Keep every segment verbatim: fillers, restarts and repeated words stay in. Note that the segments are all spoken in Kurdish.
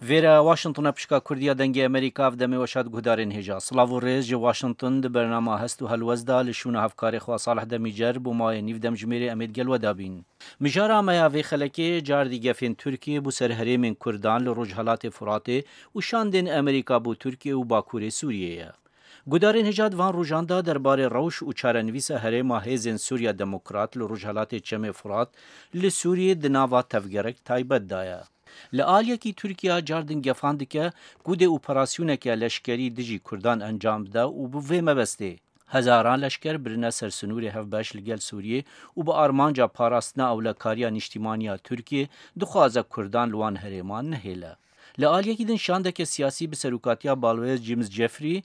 Vêre Washington e, pişka Kurdiya Dengê Amerîka, ev demê we şad guhdarên hêja. Silav û rêz ji Washington di bernama Hest û Helwest de li şûna hevkarê xwe Salih Demîcer bo mayê nîv demjimêrê em ê digel we de bîn. Mijara me ya vê xelekê cardî gefên Tirkiyê bo ser herêmên Kurdan li Rojhelatê Furatê û şandên Amerîka bo Tirkiye û Bakurê Sûriyê ye. Gudarên hêja di van rojan de derbarê rewş û çarenivîsa herêma hêzên Sûriya Demokrat li Rojhelatê Çemê Furat li Sûriyê di nava tevgerek taybet de ye. Li aliyekî Tirkiye cardin gefan dike ku dê operasyoneke leşkerî dijî Kurdan encam bide û bi vê mebestê hezaran leşker birine ser sinûrê hevbeş li gel Sûriyê û bi armanca parastina ewlekariya niştîmaniya Tirkiyê dixwaze Kurdan li wan herêman nehêle. Li aliyekî din şandeke siyasî bi serokatiya Balwêz James Jeffrey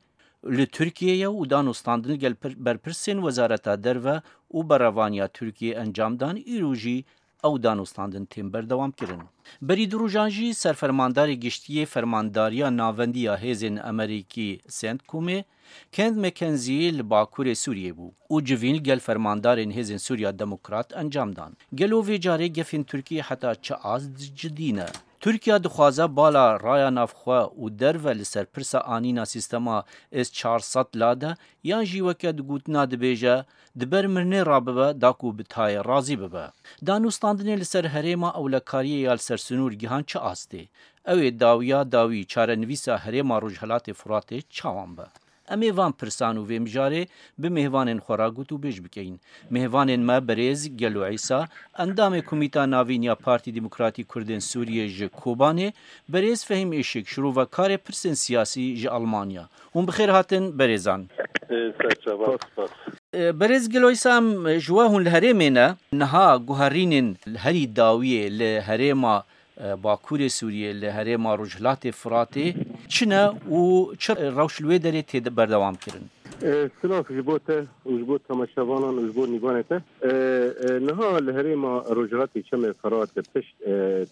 li Tirkiyê ye û danûstandin li gel pir-, berpirsên Wezareta Derve û Berevaniya Tirkiyê encam dan, îro jî ew danûstandin tên berdewam kirin. Berî du rojan jî serfermandarê giştî yê Fermandariya Navendî ya Hêzên Amerîkî, CENTCOMê, Kent McKenzie li Bakurê Sûriyê bû û civîn li gel fermandarên Hêzên Sûriya Demokrat encam dan. Gelo vê carê gefên Tirkiyê heta çi ast cidî ne? Tirkiye dixwaze bala raya navxwe û derve li ser pirsa anîna sîstema S çar sed lade, yan jî weke di gotina dibêje, di ber mirinê re bibe, da ku bi tayê razî bibe. Danûstandinê li ser herêma ewlekariyê ya li ser sinûr gihan çi astê? Ew ê dawiya dawî çarenivîsa herêma Rojhelatê Furatê çawan be? Em ê van pirsan û vê mijarê bi mêvanên xwe re gotûbêj bikeyin. Mêvanên me berêz Gelo Îsa, endamê Komîta Navîn ya Partî Demokratî Kurdên Sûriyê ji Kobanê, berêz Fehîm Işik, şirovekarê pirsên siyasî ji Almanya. Hûn bi xêr hatin berêzan. Ê, serçava, spas. Ê, berêz Gelo Îsa, em ji we hûn li herêmê ne. Niha guherînên herî dawiyê li herêma e, Bakurê Sûriyê, li herêma Rojhilatê Firatê çi ne û çi rewş li wê derê tê de berdewam kirin? E, silav ji bo te û ji bo temaşevanan û ji bo nîvanê te. E, e, niha li herêma Rojhilatê Çemê Firat li pişt, e,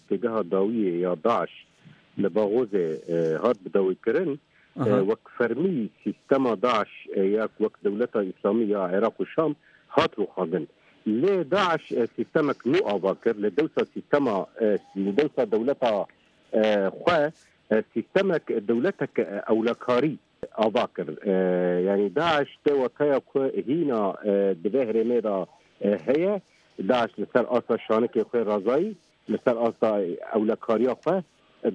têgeha dawiyê ya DAIŞ li Baxozê, e, hat bidawîkirin. Aha. E, wek fermî sîstema DAIŞ, e, ya wek Dewleta Îslamî ya Iraq û Şam hat rûxandin. Lê DAIŞ, e, sîstemek nû ava kir. Li dewsa sîstema, e, li dewsa dewleta, e, xwe, e, sîstemek, dewletek, e, ewlekarî ava kir. E, yanî DAIŞ tê wateya ku hîna, e, di vê herêmê de, e, heye. DAIŞ li ser asta şanikê xwe razayî, li ser asta ewlekariya xwe,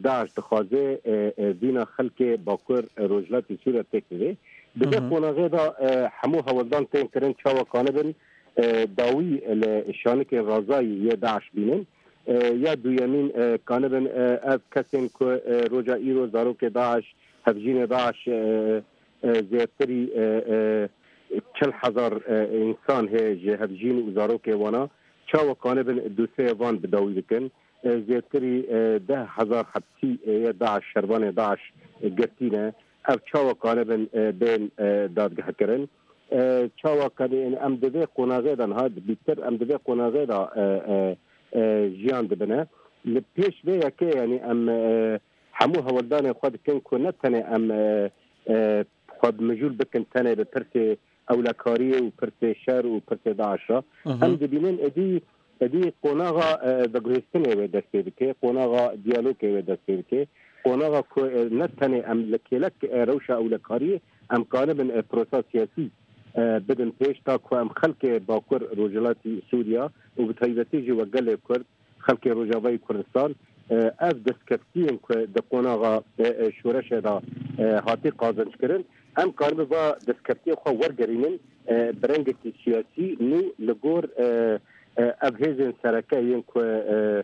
DAIŞ dixwaze, e, e, vîna xelkê Bakur, e, Rojhilatê Sûriya têk bivê. Di vê Hı hı. qonaxê de, e, hemû hewldan tên kirin çawa kanibin, e, dawî li şanikên razayî yê DAIŞ bînin. E, ya duyemîn, e, kanibin, e, ev kesên ku, e, roja îro zarokê DAIŞ, hevjînê DAIŞ, e, e, zêtirî, e, e, çil hezar, e, însan hê ji hevjîn û zarokê wana. Çawa kanibin dosyeya van bi dawî bikin? E, zêtirî, e, deh hezar hepsî, e, yê DAIŞ, şervanê DAIŞ, e, girtî ne. Ev çawa kanibin, e, bên, e, dadgehkirin? E, çawa kanî, em di vê qonaxê de niha bîtir, em di vê qonaxê de, e, e, e, jiyan dibine. Li pêş vê yekê, yanî em, e, hemû hewldanên xwe dikin ku ne tenê em, e, e, xwe mijûl bikin tenê bi pirsê ewlekariyê û pirsê şer û pirsê DAIŞ re. Hı hı. Em dibînin êdî, êdî qonaxa, e, veguhêstinê wê dest pê bike, qonaxa diyalogê wê dest pê bike, qonaxa ku, e, ne tenê em li kêlek, e, rewşa ewlekariyê em kanibin, e, prosa siyasî, e, bidin pêş, ta ku em xelkê Bakur Rojhilatî Sûriya û bi taybetî jî we gelê Kurd, xelkê Rojavayê Kurdistan, e, ev destkeftiyên ku di qonaxa, e, e, şoreşê de, e, hatî qazenc kirin, em karibe va destkeftiyê xwe wergerînin, e, bi rengekî siyasî nû li gor, e, e, ev hêzên sereke yên ku, e,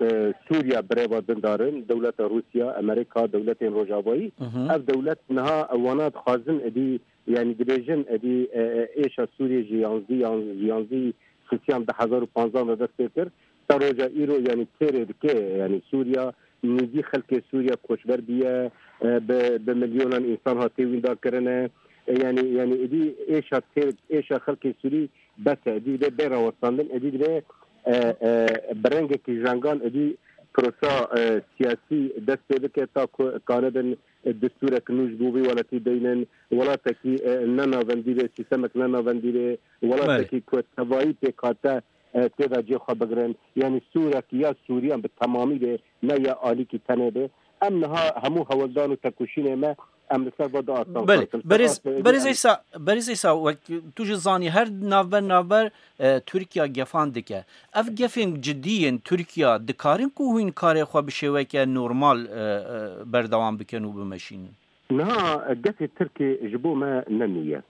e, Sûriya bi rê ve dindarin, dewleta Rûsya, Amerîka, dewletên Rojavayî, Hı hı. ev dewlet niha wana dixwazin êdî, yanî dibêjin êdî, e, e, êşa Sûriyê ji yanzdî, yan-, ji yanzdî Sisiyan du hezar û panzdeh de dest pê kir. Ta roja îro, yanî têrê dike, yanî Sûriya, nîvî xelkê Sûriya koçber bûye, e, bi, bi milyonan însan hatiye wînda kirine. E, yanî, yanî êdî êşa têr, êşa xelkê Sûrî bes e. Êdî dibe bê rawestandin, êdî dibe, e, e, bi rengekî jengan êdî prosa, e, siyasî dest pê bike ta ku kanibin, e, destûrek nû ji bo vî welatî deynin, welatekî, e, ne navendî be, sîstemek ne navendî be, welatekî Belê. ku tevayî pêk hate, e, tê de cê xwe bigirin. Yanî Sûrek ya Sûriyan bi temamî be, ne ya alîkî tenê be. Em niha hemû hewldan û tekoşînê me em li ser va diastanxasin. Belê, berêz, berêz Eysa, berêz Eysa, wek tu jî zanî, her navber navber, e, Tirkiye gefan dike. Ev gefên cidî yên Tirkiye dikarin ku hûn karê xwe bi şêweke normal, e, e, berdewam bikin û bimeşînin? Niha gefê Tirkê ji bo me ne nû ye.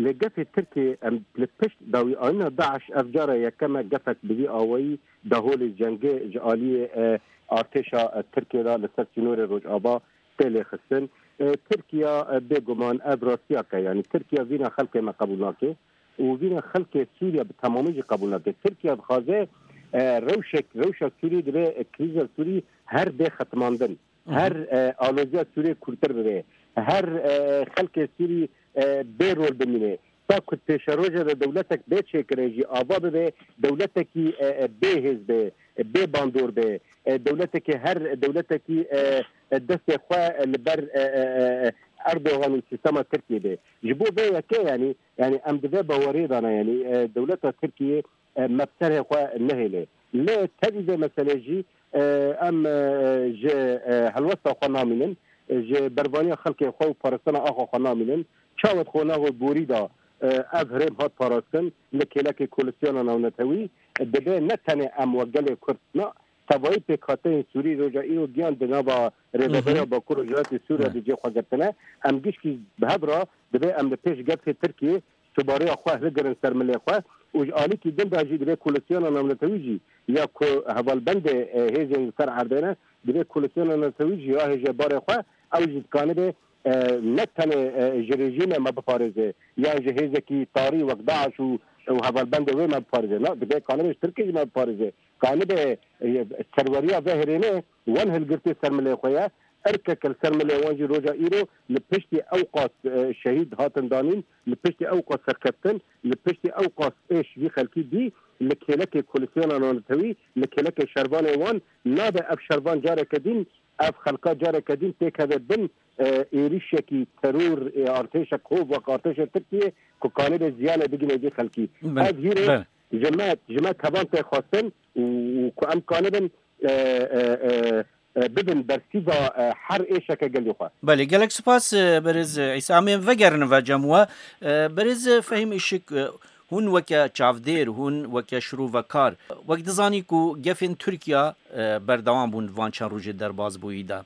Lê gefê Tirkê em li pişt dawîanîna DAIŞ ev cara yekem e gefek bi vî awayî daholê cengê ji aliyê, e, artêşa, e, Tirkê re li ser sînorê Rojava tê lêxistin. E, Tirkiye, e, bêguman ev rastiyek e. Yanî Tirkiye vîna xelkê me qebûl nake û vîna xelkê Sûriye bi temamî jî qebûl nake. Tirkiye dixwaze, e, rewşek, rewşa Sûrî dibe, e, krîza Sûrî her bê xetimandin. Her, e, aloziya Sûriyê kûrtir bibe. Her, e, xelkê Sûrî, e, bê rol bimîne. Ta ku pêşeroja de dewletek bê çêkirin jî ava bibe, dewletekî, e, e, bê hêz be, e, bê bandor be, e, dewletekî her, dewletekî, e, e, destê xwe, e, li ber, e, e, e, Erdogan û sîstema Tirkiyê be. Ji bo vê yekê, yanî, yanî em di vê bawerê de ne, yanî, e, dewleta Tirkiyê, e, me bi serê xwe nehêle. Lê tevî vê meselê jî, e, em, e, ji, e, helwesta xwe namînin, e, ji berbaniya xelkê xwe û parastina axa xwe namînin. Çawa dixwe naxwe borî da, e, ev herêm hat parastin li kêlekê koalisyona navnetewî, e, dibe ne tenê em wek gelê Kurd, na, tevayî pêkhateyên Sûrî roja îro giyan di nava Rêveberiya Bakur û Rojhilatê Sûriye de cê xwe girtine. Em gişkî bi hev re dibe em li pêş gefê Tirkiyê subareya xwe hilgirin ser milê xwe û ji alîkî din de jî divê koalisyona navnetewî jî ya ku hevalbendê, e, hêzên li ser erdê ne, divê koalisyona navnetewî jî ya hêjê barê xwe ew jî dikanibe, e, ne tenê, e, ji rejîmê me biparêze yan ji hêzekî tarî wek DAIŞ û, û hevalbendê wê me biparêze. Na, divê kanibe ji Tirkiyê jî me biparêze. Kanibe, e, serweriya vê herêmê wan hilgirtê ser milê xwe ye. Erkeke li ser milê wan jî roja îro li piştî ew qas, e, şehîd hatin danîn, li piştî ew qas serkeftin, li piştî ew qas êş vî xelkî dî, li kêlekê koalisyona navnetewî, li kêlekê şervanê wan nabe ev şervan careke din, ev xelka careke din têkeve bin, e, êrişekî teror, e, artêşek hov wek artêşa Tirkiyê ku kanibe ziyane bigine vî xelkî. Belê, Ev hîrê belê. ji me, ji me tevan tê xwestin û, û ku em kanibin, e, e, e, e, bibin bersîva, e, her êşeke gelê xwe. Belê, gelek spas, e, berêz, e, Îsa. Em ê vegerin ve cem we. E, berêz, e, Fehîm Işık, e, hûn weke çavdêr, hûn weke şirovekar, wek dizanî ku gefên Tirkiye, e, berdewam bûn van çend rojê derbazbûyî de.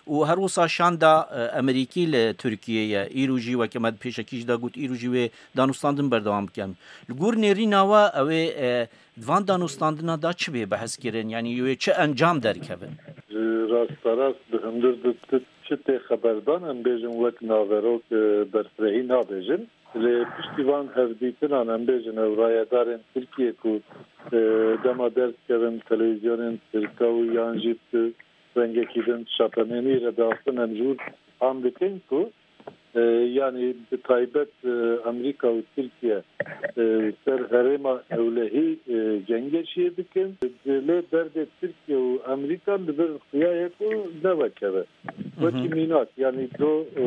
Û her wisa şanda, e, Amerîkî li Tirkiyê ye. Îro jî weke me di pêşekî jî de got, îro jî wê danûstandin berdewam bikin. Li gor nêrîna we ew ê, e, Di van danûstandina da çi bê behs kirin? Yanî wê çi encam derkevin? Ji rasterast bi hundir di ti çi tê xeberdan, em bêjin wek naverok, e, berfirehî nabêjin. Lê piştî van hevdîtinan, em bêjin ew rayedarên Tirkiyê ku, e, dema derdikevin televîzyonên Tirka û yan jî bi rengekî din şapemenî re diaxivin, em ji wir fam dikin ku E, yanî bi taybet, e, Amerîka û Tirkiye, e, ser herêma ewlehî, e, cengeşiyê dikin. Lê derdê Tirkiye û Amerîka li vir xuya ye ku nevekeve. Wekî mînak, yanî do, o,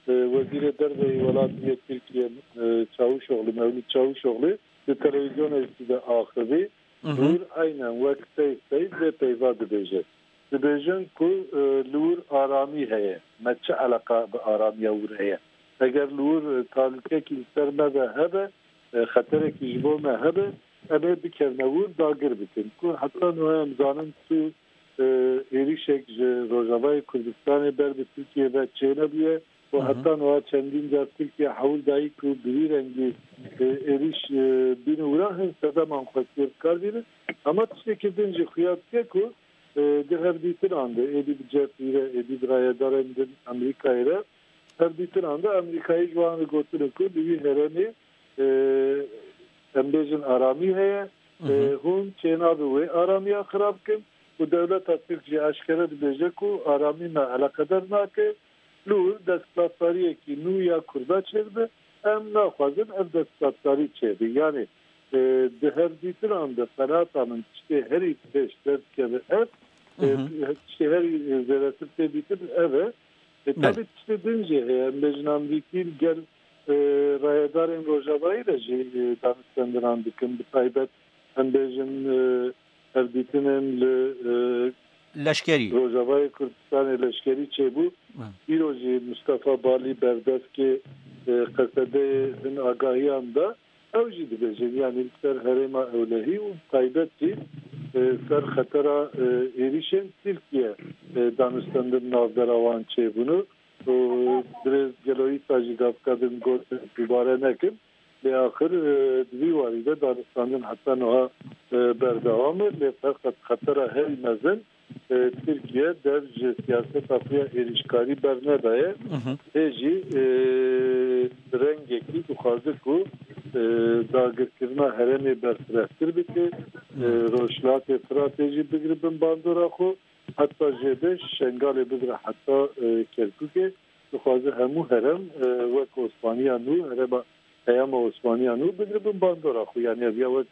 e, Wezîrê Derve yê welatî yê Tirkiye, e, Çavuşoglu, Mevlût Çavuşoglu di televîzyonekî de axivî, wir eynen wek seyf seyf vê peyva dibêje. Dibêjin ku, e, li wir aramî heye. Me çi eleqa bi aramiya wir heye? Eger li wir, e, talûkekî li ser me ve hebe, e, xeterekî ji bo me hebe, em ê bikevine wir dagir bikin. Ku heta niha em zanin tu, e, êrîşek ji Rojavayê Kurdistanê ber bi Tirkiye ve çênebûye. Û Hı hı. heta niha çendîn car Tirkiye hewl dayî ku bi vî rengî, e, êrîş, e, bîne wira hin sedeman xwestiye bi kar bîne. Ama tiştekî din jî xuya dike ku, e, di hevdîtinan de, êdî bi Jeffrey re, êdî bi rayedarên din Amerîkayê re, hevdîtinan de Amerîkayê ji wan re gotine ku li wî herêmê, e, em bêjin aramî heye, Hı hı. e, hûn çênabe wê aramiya xirab kin û dewleta Tirk jî eşkere dibêje ku aramî me eleqedar nake. Li wir desthilatdariyekî nû ya Kurda çêdibe, em naxwazin ev desthilatdarî çêbe. Yanî, e, di hevdîtinan de qenaeta min tiştê herî pêş derdikeve ev, e, Hı hı. tiştê herî, e, zêdetir tê dîtin ev e. E, Belê. tabî tiştê din jî heye. Em bêjin Amerîkî li gel, e, rayedarên Rojavayî re jî, e, danûstendinan dikin. Bi taybet em bêjin, e, hevdîtinên li, e, Leşkerî. Rojavayê Kurdistanê leşkerî çêbû. Hı. Îro jî Mustafa Balî berdevkê, e, Qesedeyê hin agahiyan da. Ew jî dibêjin, yanî li ser herêma ewlehî û taybet jî, e, ser xetera, e, êrîşên Tirkiye, e, danûstendin navbera wan çêbûn û dirêz gelo îsa jî gavka din got dubare nekin. Lê axir, e, di vî warî de danûstandin heta niha, e, berdewam e. Lê ferqet xetera herî mezin, e, Tirkiye dev ji siyaseta xwe ya êrîşkarî bernedaye. Mhm. Hê jî, e, bi rengekî dixwaze ku, e, dagirkirina herêmê berfirehtir bike, e, Rojhilatê Firatê jî bigire bin bandora xwe, heta jêde Şengalê bigire heta, e, Kerkûkê. Dixwaze hemû herem, e, wek Osmaniya nû, herêma peyama Osmaniya nû bigire bin bandora xwe. Yanî ev ya wek,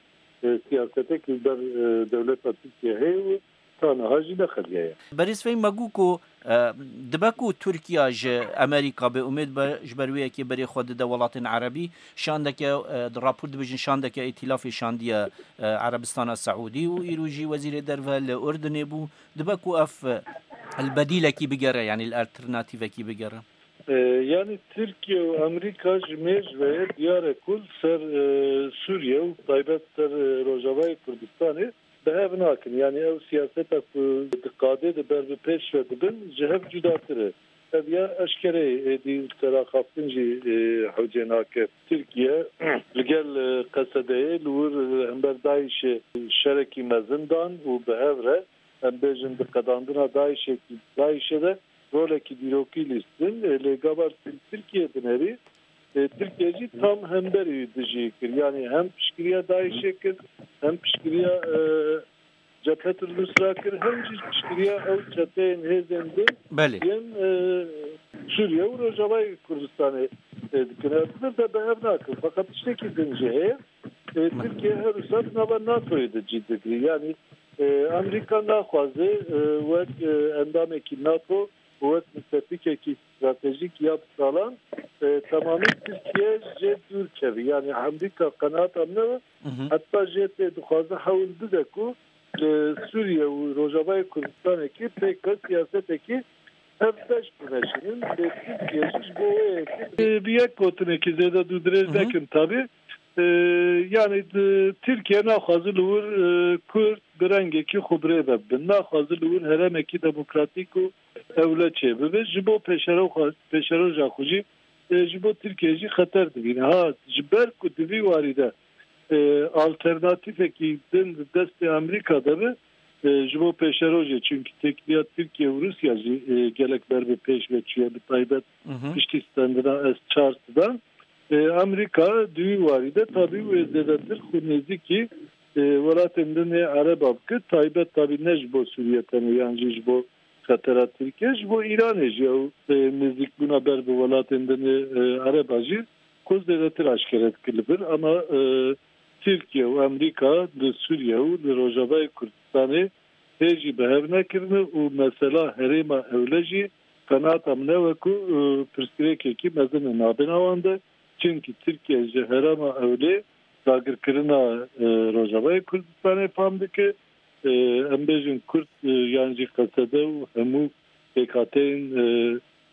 e, siyasetek li ber, e, dewleta Tirkiye heye û ta niha jî nexeliyaye. Berêz Fehîm, me got ku, e, dibe ku Tirkiye ji Amerîka bê umêd be, ji ber wê yekê berê xwe dide welatên Erebî, şandeke, e, di rapor dibêjin şandeke îtîlafê şandiye, e, Erebistana Seûdî û îro jî wezîrê derve li Urdinê bû. Dibe ku ev, e, li bedîlekî bigere, yanî li alternatîvekî bigere. E, yanî Tirkiye û Amerîka ji mêj ve ye diyar e ku li ser, e, Sûriye û taybet ser, e, Rojavayê Kurdistanê bi hev nakin. Yanî ew siyaseta ku di qadê de ber bi pêş ve dibin ji hev cudatir e. Ev ya eşkere ye, êdî li ser axaftin jî, e, hewcê nake. Tirkiye li gel, e, Qesedeyê li wir, e, hember DAIŞê şerekî mezin dan û bi hev re, em bêjin, di qedandina DAIŞê, DAIŞê de rolekî dîrokî lîstin. Lê gava li Tirkiye dinêrî, e, Tirkiye jî tam hemberî dijî kir. Yanî hem piştgiriya DAIŞê kir, hem piştgiriya, e, Cephet el-Nusra kir, hem jî piştgiriya ew çeteyên hêzên din Belê. yên, e, Sûriye û Rojavayê Kurdistanê, e, dikin. Ev bi de bi hev nakin. Feqet tiştekî din jî heye. E, Tirkiye her wisa di nava NATOyê de cî digirî. Yanî, e, Amerîka naxwaze, e, wek, e, endamekî NATO û wek mistepîkekî stratejîk ya bi salan, e, temamî Tirkiye jê dûr kevî. Yanî Amerîka qenaat amne, Hı hı. heta jê tê dixwaze hewl bide ku li Sûriye û Rojavayê Kurdistanekî pêk ve siyasetekî hevbeş bimeşînin. Lê Tirkiye jî ji bo wê yekê, e, bi yek gotinekî zêde dû dirêj Hı hı. nekin tabî. E, yanî di, Tirkiye naxwaze li wir, e, Kurd bi rengekî xwe bi rê ve bibin. Naxwaze li wir herêmekî demokratîk û ewle çêbibe. Ji bo pêşero xwe, pêşeroja xwe jî, e, ji bo Tirkiye jî xeter dibîne. Ha, ji ber ku di vî warî de, e, alternatîfekî din di destê Amerîka de be, e, ji bo pêşerojê, çimkî têkiliya Tirkiye û Rûsya jî, e, gelek ber bi pêş ve çûye, bi taybet Hı hı. piştî stendina S çar sidan. E, Amerîka di wî warî de tabî wê zêdetir xwe nêzîkî, e, welatên din ê Ereba bike, taybet tabî ne ji bo Sûriye tenê yan jî ji bo xetera Tirkiye, ji bo Îranê jî ew, e, nêzîkbûna ber bi welatên din ê, e, Ereba jî xwe zêdetir aşkere dike li vir. Ama, e, Tirkiye û Amerîka li Sûriye û li Rojavayê Kurdistanê hê jî bi hev nekirine û mesela herêma ewle jî qenaata min ew e ku, e, pirsgirêkekî mezin e navbêna wan de. Çimkî Tirkiye ji herêma ewlê dagirkirina, e, Rojavayê Kurdistanê fam dike. E, em bêjin Kurd, e, yan jî Qesede û hemû pêkhateyên, e,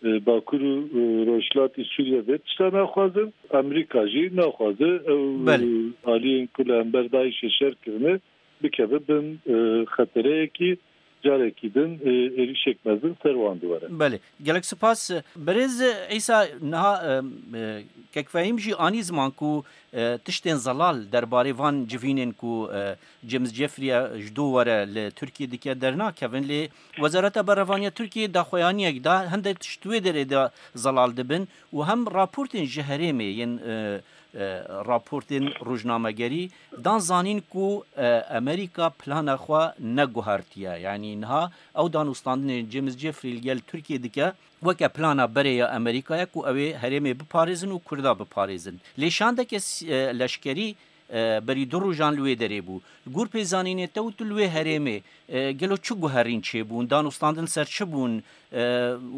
e, Bakur û, e, Rojhilatî Sûriye vê tişta naxwazin. Amerîka jî naxwaze ew, Belê. e, aliyên ku li hember DAIŞê şer kirine bikeve bin, e, xetereyekî, carekî din, e, êrîşek mezin ser wan diwere. Belê. Gelek spas. Birêz Îsa, niha, e, e, kek Fehîm jî anî ziman ku, e, tiştên zelal derbarê van civînên ku, e, James Jeffrey ji dû were li Tirkiyê dike dernakevin, lê Wezareta Berevaniya Tirkiyê daxuyaniyek da, hindek tişt wê derê de zelal dibin û hem raportên ji herêmê yên, e, e, raportên rojnamegerî dan zanîn ku, e, Amerîka plana xwe neguhertiye. Yanî niha ew danûstandinên James Jeffrey li gel Tirkiyê dike weke plana berê ya Amerîkayê ku ew ê herêmê biparêzin û Kurda biparêzin. Lê şandeke s-, e, leşkerî, e, berî du rojan li wê derê bû. Li gor pêzanînê te û tu li wê herêmê, e, gelo çi guherîn çêbûn? Danûstandin ser çi bûn? E,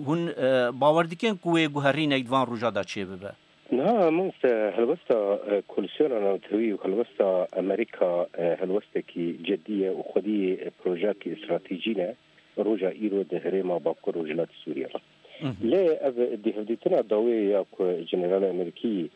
hûn, e, bawer dikin ku wê guherînek di van roja de çêbibe? Niha, mamoste, helwesta, e, Koalîsyona Navtewî û helwesta Amerîka, e, helwestekî cidî ye û xwedî, e, projeyekî stratejî ne. roja îro di herêma Bakur Rojhilatî Sûriyê re. Lê ev di hevdîtina dawê ya ku Jenerala Amerîkî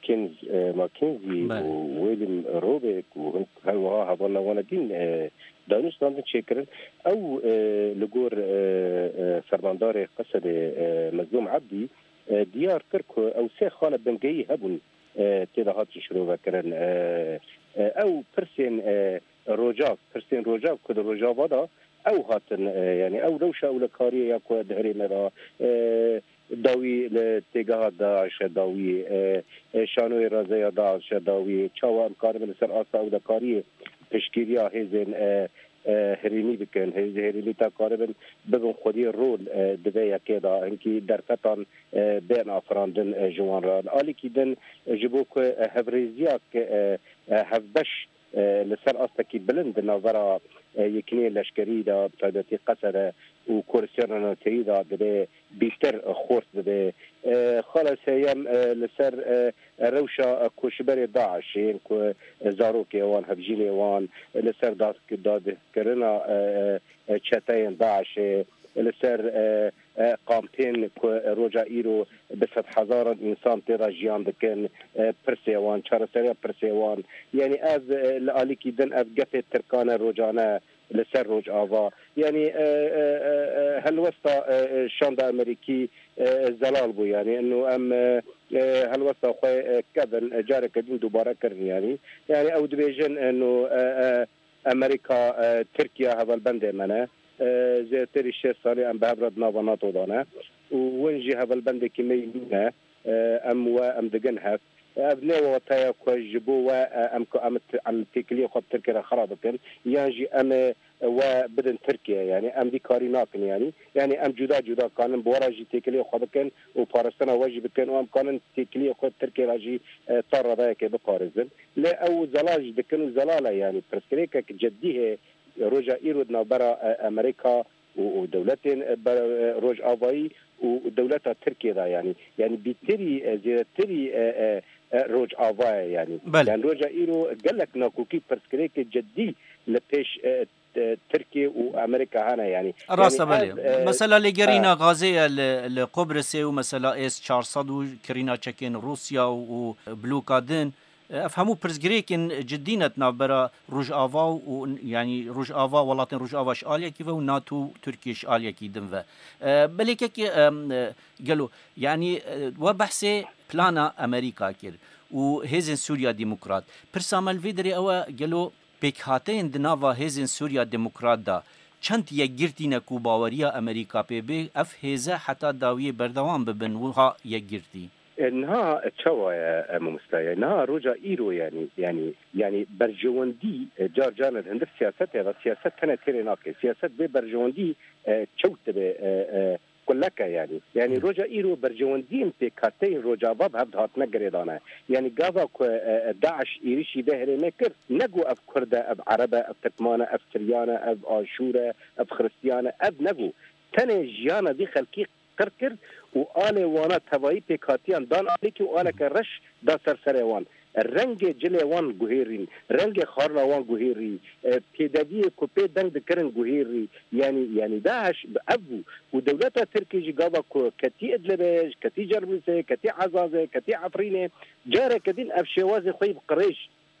Kins, e, McKenzie Belê. û William Robeck û hin-, her wiha hevalna wana dîn, e, danûstandin çêkirin. Ew, e, li gor, e, e, fermandarê Qesedê, e, Mezlûm Ebdî, e, diyar kir ku ew sê xala bingehî hebûn, e, tê de hatin şirovekirin. E, e, ew pirsên, e, Rojav, pirsên Rojav ku di Rojava de ew hatin, e, yanî ew rewşa ewlekariyê ya ku di herêmê de, e, dawî li têgeha DAIŞ e dawî, e, e, şanoyê raze ya DAIŞ e dawî, çawa em karibin li ser asta ewlekariyê piştgiriya hêzên, e, e, herêmî bikin, hêzên herêmî ta karibin bibin xwediyê rol, e, di vê yekê de, hinkî derfetan, e, bên afirandin, e, ji wan re. Li alîkî din, e, ji bo ku, e, hevrêziya, e, e, hevbeş, e, li ser astekî bilind di navbera, e, yekîneyên leşkerî de, bi taybetî Qesede û Kurdistana Navçeyî de divê bîtir, e, xurt bibe. E, xala sêyem, e, li ser, e, rewşa, e, koçberê DAIŞ ên ku, e, zarokê wan, hevjînê wan, e, li ser da-, dadkirina, e, e, çeteyên DAIŞê, li ser, e, e, kampên ku roja îro bi sedhezaran însan tê de jiyan dikin, e, pirsê wan, çareseriya pirsê wan. Yanî ev, e, li alîkî din ev gefê Tirkan e rojane li ser Rojava. Yanî, e, e, e, e, helwesta, e, e, şanda Amerîkî, e, zelal bû. Yanî ino em, e, e, helwesta xwe, e, kevin, e, careke din dubare kirin yanî. Yanî ew dibêjin, e, no, e, e, Amerîka, e, Tirkiye hevalbendê me ne. E, zêdetirî şêst salî em bi hev re di nava NATO de ne. Û win jî hevalbendekî me yî nîne. E, em we, em digin hev. Ev ne wateya ku ji bo we, e, em ku em t-, em têkiliyê xwe bi Tirkiye re xera bikin, yan jî em ê we bidin Tirkiye. Yanî em vî karî nakin yanî. Yanî em cuda cuda kanin bi we re jî têkiliyê xwe bikin û parastina we jî bikin û em kanin têkiliyê xwe Tirkiye re jî, e, ta reveyekê biparêzin. Lê ew zelal jî dikin û zelal e, yanî pirsgirêkek cidî heye roja îro di navbera, e, Amerîka û, û dewletên, e, ber-, e, Rojavayî û dewleta Tirkiye de, yanî, yanî bîtirî, e, zêdetirî, e, e, e, Rojava ye, yanî. Belê. Yanî roja îro gelek nakokî pirsgirêkê cidî li pêş, e, e, Tirkiye û Amerîka hene, yanî. Rast e, Yanî belê. ev, e, Mesela lêgerîna e, Gazê ye li, li Qubrisê û mesela S çar sed û kirîna çekên Rûsya û, û bloka din. Ev hemû pirsgirêkên cidî ne di navbera Rojava û, yanî Rojava, welatên Rojava ji aliyekî ve û NATO û Tirkiye ji aliyekî din ve. E, belê kekê, em, e, gelo, yanî, e, we behsê plana Amerîka kir û Hêzên Sûriya Demokrat. Pirsa me li vê derê ew e, gelo pêkhateyên di nava Hêzên Sûriya Demokrat de çend yekgirtî ne ku baweriya Amerîka pê bê, ev hêze heta dawiyê berdewam bibin, wiha yekgirtî? E, niha çawa ye, e, mamoste? Niha roja îro, yanî, yanî, yanî berjewendî, e, car caran li hundir siyasetê ve, siyaset tenê têrê nake. Siyaset bê berjewendî, e, çewt dibe, e, e, kuleke, yanî. Yanî roja îro berjewendiyên pêkhateyên Rojava bi hev dihatine girêdane. Yanî gava ku, e, e, DAIŞ êrişî vê herêmê kir, ne ku ev Kurd e, ev Ereb e, ev Tirkman e, ev Siryan e, ev Aşûr e, ev Xiristiyan e, ev ne ku. Tenê jiyana vî xelkî qir kir û alê wana tevayî pêkhatiyan dan alîkî û aleke reş da ser serê wan. Rengê cilê wan guhêrîn, rengê xarina wan guhêrî, e, pêdeviyê ku pê deng dikirin guhêrî. Yanî, yanî DAIŞ bi ev bû. Û dewleta Tirkî jî gava ku ketî Idlibê, ketî Cerblûsê, ketî Ezazê, ketî Efrînê, careke din ev şêwazê xwe yî bi qirêj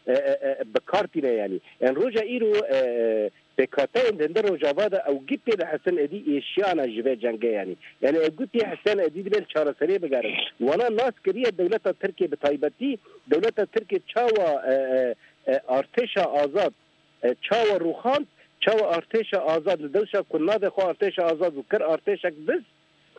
e, e, e, bi kar tîne yanî. Yanî roja îro, e, e, pêkhateyên di hundir Rojava de ew gî pê dihesen êdî êşiyane ji vê cengê yanî. Yanî ew gî pê hesen êdî dibên çareseriyê bigerin. Wana nas kiriye dewleta Tirkiye bi taybetî, dewleta Tirkiye çawa, e, e, e, artêşa azad, e, çawa rûxand, çawa artêşa azad li dewşa ku navê xwe artêşa azad û kir artêşek biz,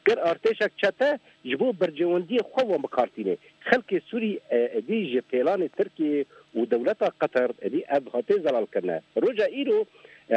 kir artêşek çete ji bo berjewendiyê xwe wan bi kar tîne. Xelkê Sûrî, e, êdî ji pêlanê Tirkiyê û dewleta Qeter êdî ev hatê zelal kirine. Roja îro, e,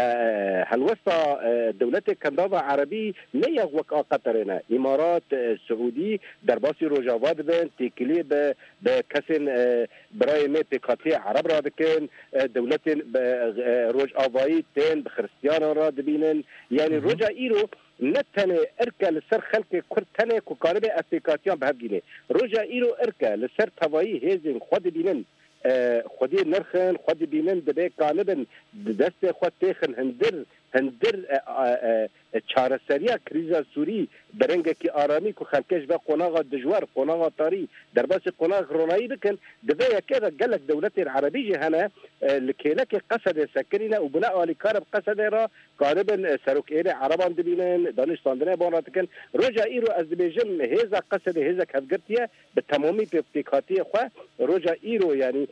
helwesta, e, dewletê Kendava Erebî ne ya wek a Qeterê ne. Îmarat, e, Siûdî derbasî Rojava dibin, têkiliyê bi, bi kesên, e, birayê me pêkhatiyê Ereb radikin, e, dewletên bi, e, Rojavayî tên bi Xiristiyanan re dibînin. Yanî roja îro ne tenê irke li ser xelkê Kurd tenê ku karibe ev pêkatiyan bi hev gîne. Roja îro irke li ser tevayî hêzên xwe dibînin, e, xwediyê nirxin, xwe dibînin, dibê kanibin, di destê xwe têxin hundir hindir, e, e, e, çareseriya krîza Sûrî bi rengekî aramî ku xelkê ji ve qonaxa dijwar, qonaxa tarî, derbasî qonaxek ronayî bikin, di vê yekê de gelek dewletên erebî jî hene, e, li kêlekê Qesedê sekinîne û bûne alîkar bi Qesedê re karibin, e, serokêrê ereban dibînin, danûstandinê ban re dikin. Roja îro ez dibêjim hêza Qesedê hêzek hevgirtî ye, bi temamî pê-, pêkhatiye xwe. Roja îro, yanî,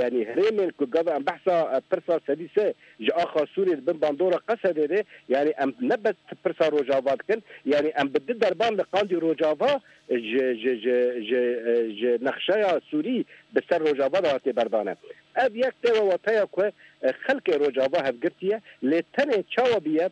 yanî herêmên ku gava em behsa, e, pirsa sedî sê ji axa Sûriyê di bin bandora Qesedê de, yanî em ne bes pirsa Rojava dikin, yanî em bi du derban li qandî Rojava ji, ji, ji, ji, e, ji nexşeya Sûrî bi ser Rojava de hatiye berdane. Ev yek tê ve wateya ku, e, xelkê Rojava hevgirtî ye, lê tenê çawa bûye,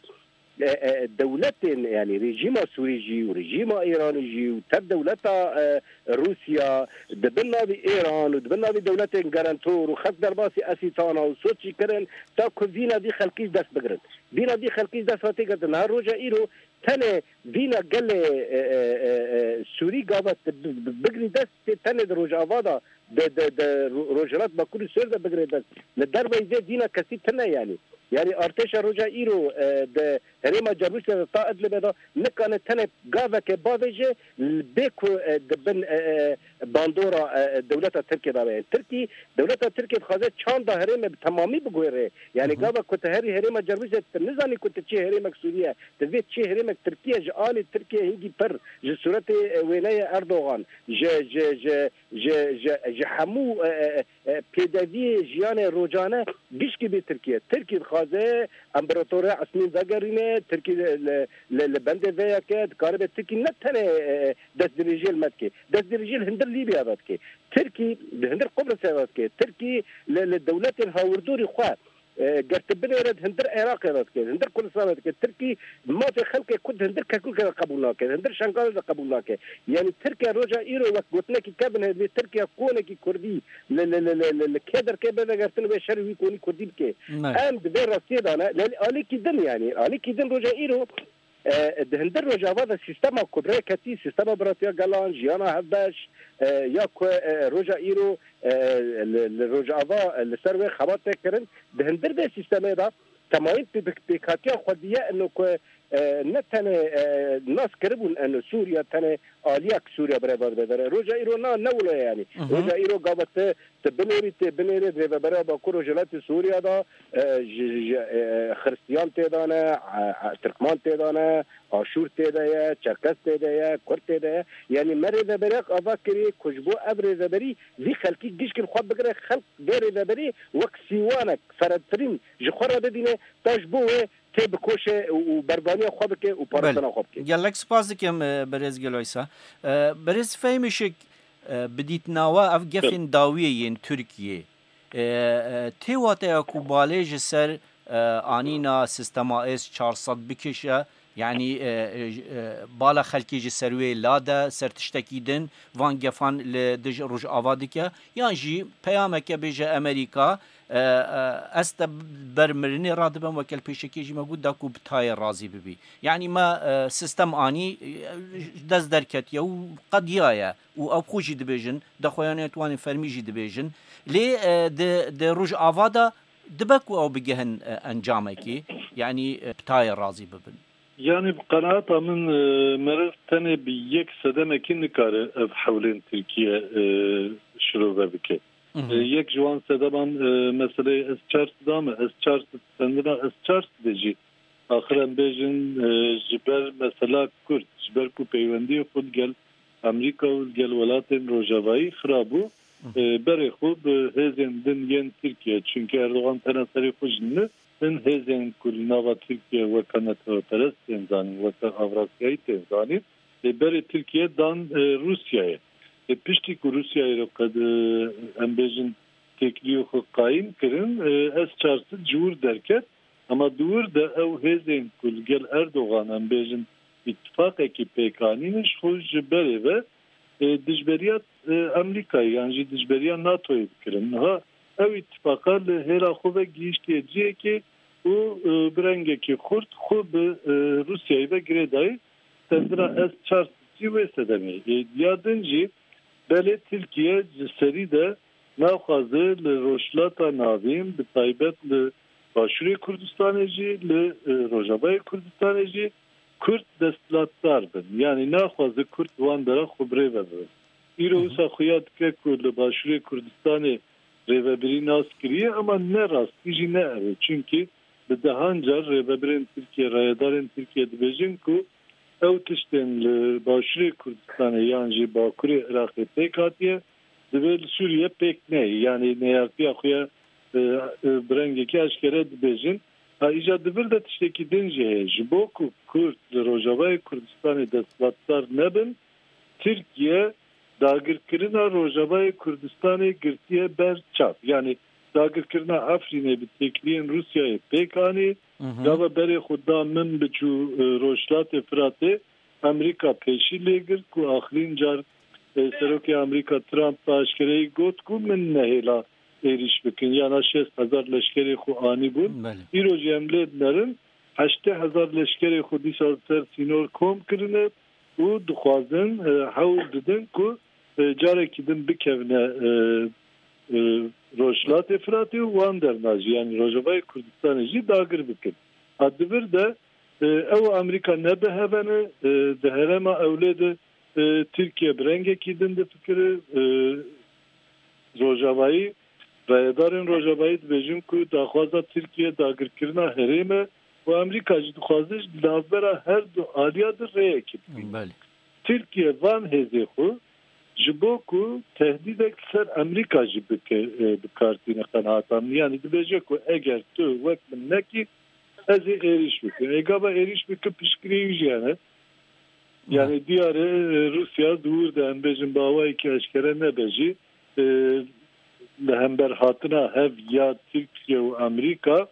e, e, dewletên, yanî rejîma Sûrî jî û rejîma Îranî jî û tev dewleta, e, Rûsya di bin navî Îran û di bin navî dewletên garantor û xelk derbasî Esîtana û Soçî kirin, ta ku vîna vî xelkî ji dest bigirin. Vîna vî xelkî ji dest hatiye girtin. Niha roja îro tenê vîna gelê, e, e, e, e, Sûrî gava tu bi-, bi-, bigirî dest, tê tenê di Rojava de, di, di, di Ro-, Rojhilat Bakur û Sêr de bigirê dest. Li derveyî vê vîna kesî tune, yanî. Yanî artêşa roja îro, e, di herêma Cerwîsê de ta Idlibê de nikane tenê gaveke bavêje, bê ku, e, di bin, e, e, bandora, e, e, dewleta Tirkiyê de be. Tirkî, dewleta Tirkiyê dixwaze çanda herêmê bi temamî biguhêre. Yanî Hı hı. gava ku tu herî herêma Cerwîsê, tu nizanî ku tu çi herêmek Sûrî ye, tu vê çi herêmek Tirkî ye, ji alî Tirkiyê hingî pir, ji sûretê, e, wêneyê Erdogan, ji, ji, ji, ji, ji, ji hemû, e, e, e, pêdeviyê jiyanê rocane gişkî bê Tirkiye. Tirkî dixwaze împaratorê Esmîn vegerîne, Tirkî li, li, li, li bendê vê yekê dikaribe. Tirkî ne tenê, e, e, destdirêjiyê li me dike. Destdirêjiyê li hundir Lîbya ve dike. Tirkî li hundir Qubrisê ve dike. Tirkî li, li dewletên hawirdorî xwe, e, ger tu binêre di hundir Iraqê ve dike, di hundir Kurdistanê dike. Tirkî mafê xelkê Kurd di hundir Kerkûkê de qebûl nake, di hundir Şengalê de qebûl nake. Yanî Tirkiye roja îro wek gotinekî kevin heye, vê Tirkiye konekî Kurdî li, li, li, li, li, li kê derkê bivegertin, wê şerê wî konî Kurdî bike. Ne. Em di vê rastiyê de ne, lê alîkî din, yanî alîkî din roja îro, e, di hundir Rojava de sîstema ku bi rê ketî, sîstema biratiya gelan, jiyana hevbeş, e, ya ku, e, roja îro, e, li, li Rojava, e, li ser wê xebat tê kirin, di hundir vê sîstemê de temayîn pê-, pê-, pêkhatiya xwedî ye, ino ku, e, ne tenê, e, nas kiribûn, ino Sûriye tenê aliyek Sûriye birêve dibe vere. Roja îro na, ne wilo ye, yanî. Hı hı. Roja îro gava te Tu binêrî, tê binêrê di Rêveberiya Bakur Rojhilatê Sûriya de, e, ji, ji, e, Xiristiyan tê de ne, e, e, Tirkman tê de ne, Aşûr tê de ye, Çerkes tê de ye, Kurd tê de ye. Yanî me rêveberiyek ava kiriye ku ji bo ev rêveberî vî xelkî gişkî li xwe bigire, xelk vê rêveberî wek sîwanek, ferehtirîn ji xwe re bibîne, ta ji bo wê tê bikoşe û, û berbaniya xwe bike û parastina xwe bike. Gelek spas dikim, e, birêz Geloysa. E, birêz Fehmî Şik, e, bi dîtina we ev gefên dawiyê yên Tirkiyê, e, e, tê wateya ku balê ji ser, e, anîna sîstema S çar sed bikişe, yanî, e, e, e, bala xelkê ji ser wê lade, ser tiştekî din, van gefan li dij Rojava dike, yan jî peyameke bêje Amerîka, e, e, ez te ber mirinê radibim, weke li pêşekê jî me got, da ku bi tayê razî bibî. Yanî me, e, sistem anî, e, dest derketiye û qediyaye û ew xwe jî dibêjin, daxuyaniyetwanên fermî jî dibêjin. Lê, e, di, di Rojava de dibe ku ew bigihin, e, encamekê, yanî, e, bi tayê razî bibin. Yanî bi qenaeta min, e, meriv tenê bi yek sedemekî nikare ev hewlên Tirkiye, e, şirove bike. Mhm. E, yek ji wan sedeman, e, meseleyê S çar sed a me, S çar sed, çendina S çar sed de jî, axir em bêjin, e, ji ber mesela Kurd, ji ber ku peywendiyê xwe li gel Amerîka û li gel welatên Rojavayî xira bû, Mhm. e, berê xwe bi hêzên din yên Tirkiye, çunke Erdogan tena serê xwe jî ne, hin hêzên ku li nava Tirkiye weke neteweperest tên zanîn, weke Avrasyayî tên zanîn, ê berê Tirkiye dan, e, Rûsyayê. Ê piştî ku Rûsyayê re qed, e, em bêjin têkiliyê xwe qayîm kirin, e, S çar sed ji wir derket, ema di wir de ew hêzên ku li gel Erdogan em bêjin îtifaqekî pêk anîne ji xwe ji berê ve, e, dijberiya, e, Amerîkayê yan jî dijberiya NATOyê dikirin. Niha ew îtifaqa li hêla xwe ve gihîştiye cihekê û, e, bi rengekî xurt xwe bi, e, Rûsyayê ve girêdayî. Tendira S çar sed jî wê sedemê. E, ya din jî belê Tirkiye ji serî de naxwaze li Rojhilata Navîn, bi taybet li Başûrê Kurdistanê jî, li, e, Rojavayê Kurdistanê jî Kurd desthilatdar bin. Yanî naxwaze Kurd wan dera xwe birêve bibin. Îro Hı hı. wisa xuya dike ku li Başûrê Kurdistanê rêvebirî nas kiriye, ama ne rastî jî ne ev e. Çimkî bi dehan car rêvebirên Tirkiye, rayedarên Tirkiye dibêjin ku ew tiştên li Başûrê Kurdistanê yan jî Bakurê Iraqê pêk hatiye, divê li Sûriye pêk neyê. Yanî neyartiya xwe ya, e, e, bi rengekî eşkere dibêjin. Ha, îja di vir de tiştekî din jî heye. Ji bo ku Kurd li Rojavayê Kurdistanê desthilatdar nebin, Tirkiye dagirkirina Rojavayê Kurdistanê girtiye ber çav. Yanî dagirkirina Efrînê bi têkiliyên Rûsyayê pêk anî, Hı hı. gava berê xwe da Minbic û, e, Rojhilatê Firatê Amerîka pêşî lê girt ku axirîn car, e, Serokê Amerîka Trump bi aşkereyî got ku min nehêla êrîş bikin. Yana şêst hezar leşkerê xwe anîbûn. Belê. Îro jî em lê dinerin, heştê hezar leşkerê xwe dîsa li ser sînor kom kirine û dixwazin, e, hewl didin ku, e, carekî din bikevine, e, e, Rojhilatê Firatê û wan derna jî, yanî Rojavayê Kurdistanê jî dagir bikin. Ha, di vir de, e, ew Amerîka ne bi hev e, e, di herêma Ewlê de, e, Tirkiye bi rengekî din difikire, e, Rojavayî, rayedarên Rojavayî dibêjin ku daxwaza Tirkiye dagirkirina herêm e û Amerîka jî dixwaze ji navbera her du aliya de rêyekê bibîne. Belê. Tirkiye van hêzê xwe ji bo ku tehdîdek li ser Amerîka jî bike, e, bi kar tîne qenaata min. Yanî dibêje ku eger tu wek min nekî, ez ê êrîş bikim. Ê gava êrîş bike piştgirî wî jî hene. Yanî diyar e, e, Rûsya di wir de, em bêjin, bi awayekî eşkere nebe jî, e, li hember hatina hev ya Tirkiye û Amerîka,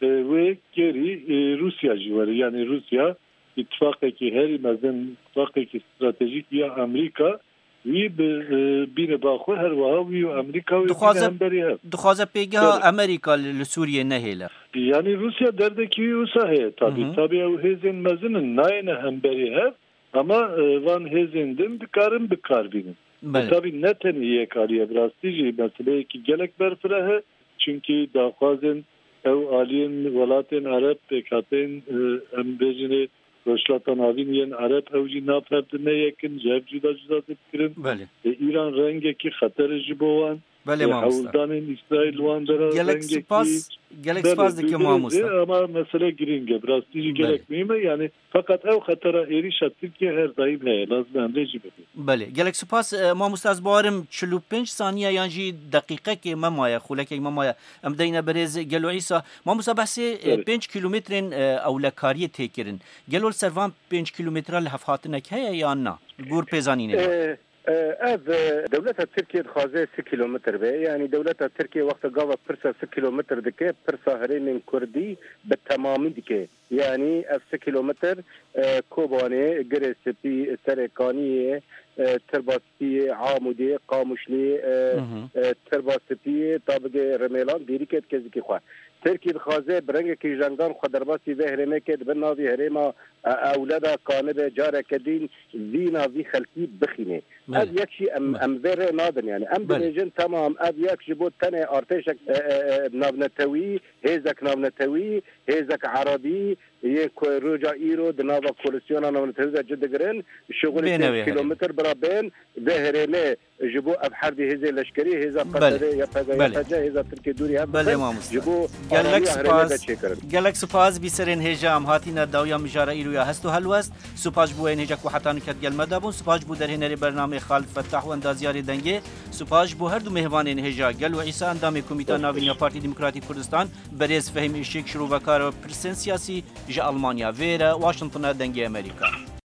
e, wê kêrî, e, Rûsya jî were. Yanî Rûsya îtifaqekî herî mezin, îtifaqekî stratejîk ya Amerîka, wî bi, e, bîne ba xwe, her wiha wî û Amerîka wê bîne Dixwaze, hemberî hev. Dixwaze pêgeha Belê. Amerîka li, li Sûriyê nehêle. Yanî Rûsya derdekî wî wisa heye tabî. Hı hı. Tabî ew hêzên mezin in, nayêne hemberî hev, ama, e, van hêzên din dikarin bi kar bînin. Belê. Tabî ne tenê yek alî ye, bi rastî jî meseleyekî gelek berfireh e, çimkî daxwazên ew aliyên welatên Ereb, pêkhateyên, e, em bêjinê Rojhilata Navîn yên Ereb, ew jî nav hev di ne yek in, ji hev cuda cuda difikirin. Belê. E, Îran rengekî xeter e ji bo wan. Belê, e, mamosta. Hewldanên Îsraîl wan dera Gelek rengekî spas, gelek Belê, spas dikim, dûdirê mamosta. Ama mesele girîng e, bi rastî jî Belê. Gelek muhîm e. Yanî feqet ew xetera êrîşa Tirkiye her daîm heye, lazim e em lê jî bibînin. Belê, gelek spas, e, mamosta, ez bawerim çil û pênc saniye yan jî deqîqekê me maye, xulekek me maye. Em deyne berêz Gelo Îsa. Mamosta, behsê, e, Belê. pênc kîlometrên, e, ewlekariyê tê kirin. Gelo li ser van pênc kîlometre lihevhatinek heye yan na? Li gor pêzanînê de. E, e, ev, e, dewleta Tirkiye dixwaze sê kîlometr be. Yanî dewleta Tirkiye wexta gava pirsa sê kîlometr dike, pirsa herêmên Kurdî bi temamî dike. Yanî ev sê kîlometr, e, Kobanê, Girê Spî, Serê Kaniyê, e, Tirba Spiyê, Amûdê, Qamişlê, e, Hı hı. e, Tirba Spiyê, ta bigê Rimêlan, dêrî ket kezikî xwe. Tirkî dixwaze bi rengekî jengan xwe derbasî vê herêmê ke, di bin navî herêma, e, ewleda kanibe careke din vîna vî xelkî bixîne. Belê. Ev yek jî em, Belê. em vê rê nadin. Yanî em Belê. dibêjin, temam, ev yek ji bo tenê artêşek, e, e, e, navnetewî, hêzek navnetewî, hêzek erebî, yê ku roja îro di nava koalîsyona navnetewî de cih digirin, şixulî Bêne pênc wê herêmê. kîlometr bira bên, vê herêmê ji bo ev herdî hêzê leşkerî, hêza Belê. P S D, Y P G, Belê. Y P C, hêza Tirkê dûrî hev Belê bibin, mamosta. ji bo Gelek aramiya herêmê spas. veçêkirin. Gelek spas, bîserên hêja em hatîne dawiya mijara îro ya hest û helwest. Spas ji bo yên hêja ku heta nûket gel me de bûn. Spas ji bo derhênerê bernameyê Xalid Fettah û endazyarê dengê. Spas ji bo her du mêvanên hêja, Gelo Îsa, endamê Komîta Navîn ya Partî Demokratîk Kurdistan, berêz Fehîm Işik, şirovekara pirsên siyasî ji Almanya. Vêre Washingtona Dengê Amerîka.